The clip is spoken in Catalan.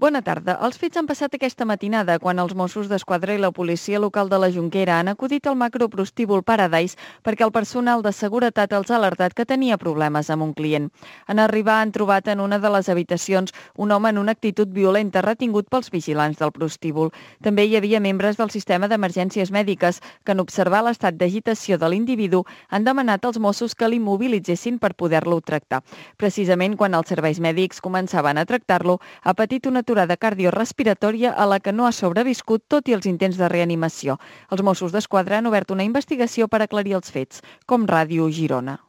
Bona tarda. Els fets han passat aquesta matinada quan els Mossos d'Esquadra i la policia local de la Jonquera han acudit al macroprostíbul Paradise perquè el personal de seguretat els ha alertat que tenia problemes amb un client. En arribar han trobat en una de les habitacions un home en una actitud violenta retingut pels vigilants del prostíbul. També hi havia membres del sistema d'emergències mèdiques que en observar l'estat d'agitació de l'individu han demanat als Mossos que l'immobilitzessin per poder-lo tractar. Precisament quan els serveis mèdics començaven a tractar-lo, ha patit una aturada cardiorespiratòria a la que no ha sobreviscut tot i els intents de reanimació. Els Mossos d'Esquadra han obert una investigació per aclarir els fets. Com Ràdio Girona.